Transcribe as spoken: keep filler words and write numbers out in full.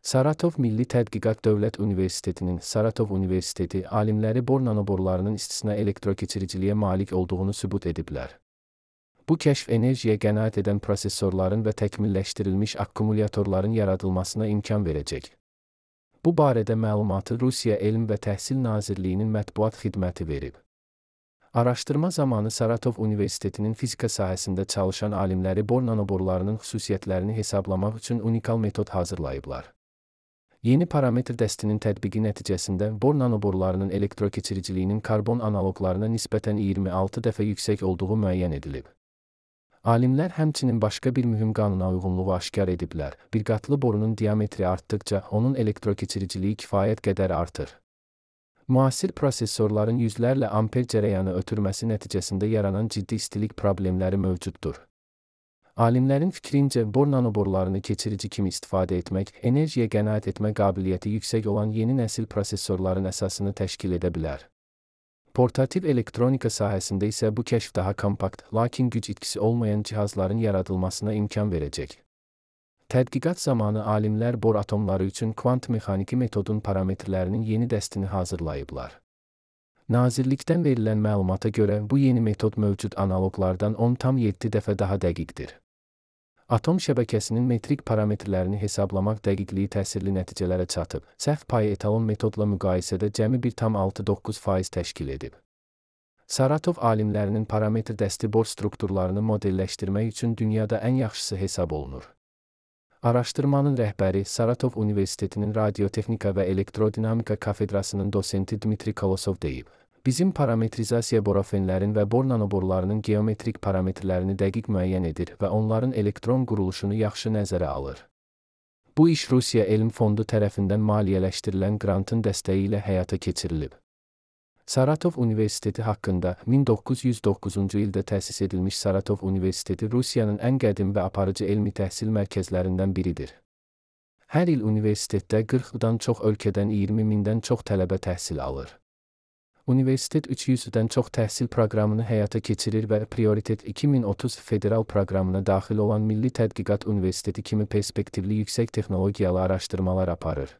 Saratov Milli Tədqiqat Dövlət Universitetinin Saratov Universiteti alimləri bor nanoborlarının istisna elektrokeçiriciliyə malik olduğunu sübut ediblər. Bu kəşf enerjiyə qənaət edən prosesorların və təkmilləşdirilmiş akkumulyatorların yaradılmasına imkan verəcək. Bu barədə məlumatı Rusiya Elm və Təhsil Nazirliyinin mətbuat xidməti verib. Araşdırma zamanı Saratov Universitetinin fizika sahəsində çalışan alimləri bor nanoborlarının xüsusiyyətlərini hesablamaq üçün unikal metod hazırlayıblar. Yeni parametr dəstinin tətbiqi nəticəsində bor nanoborlarının elektrokeçiriciliyinin karbon analoqlarına nisbətən iyirmi altı dəfə yüksək olduğu müəyyən edilib. Alimlər həmçinin başqa bir mühüm qanuna uyğunluğu aşkar ediblər. Bir qatlı borunun diametri artdıqca onun elektrokeçiriciliyi kifayət qədər artır. Müasir prosesorların yüzlərlə amper cərəyanı ötürməsi nəticəsində yaranan ciddi istilik problemləri mövcuddur. Alimlərin fikrincə, bor nanoborlarını keçirici kimi istifadə etmək, enerjiyə qənaət etmə qabiliyyəti yüksək olan yeni nəsil prosesorların əsasını təşkil edə bilər. Portativ elektronika sahəsində isə bu kəşf daha kompakt, lakin güc itkisi olmayan cihazların yaradılmasına imkan verəcək. Tədqiqat zamanı alimlər bor atomları üçün kvant mexaniki metodun parametrlərinin yeni dəstini hazırlayıblar. Nazirlikdən verilən məlumata görə bu yeni metod mövcud analoqlardan on tam yeddi dəfə daha dəqiqdir. Atom şəbəkəsinin metrik parametrlərini hesablamaq dəqiqliyi təsirli nəticələrə çatıb. Səhv payı etalon metodla müqayisədə cəmi bir tam altı doqquz faiz təşkil edib. Saratov alimlərinin parametr dəsti bor strukturlarını modelləşdirmək üçün dünyada ən yaxşısı hesab olunur. Araşdırmanın rəhbəri Saratov Universitetinin Radiotexnika və Elektrodinamika kafedrasının dosenti Dmitri Kolosov deyib. Bizim parametrizasiya borofenlərin və bor nanoborlarının geometrik parametrlərini dəqiq müəyyən edir və onların elektron quruluşunu yaxşı nəzərə alır. Bu iş Rusiya Elm Fondu tərəfindən maliyyələşdirilən qrantın dəstəyi ilə həyata keçirilib. Saratov Universiteti haqqında min doqquz yüz doqquzuncu ildə təsis edilmiş Saratov Universiteti Rusiyanın ən qədim və aparıcı elmi təhsil mərkəzlərindən biridir. Hər il universitetdə qırxdan çox ölkədən iyirmi mindən çox tələbə təhsil alır. Universitet üç yüzdən çox təhsil proqramını həyata keçirir və Prioritet iki min otuz federal proqramına daxil olan Milli Tədqiqat Universiteti kimi perspektivli yüksək texnologiyalı araşdırmalar aparır.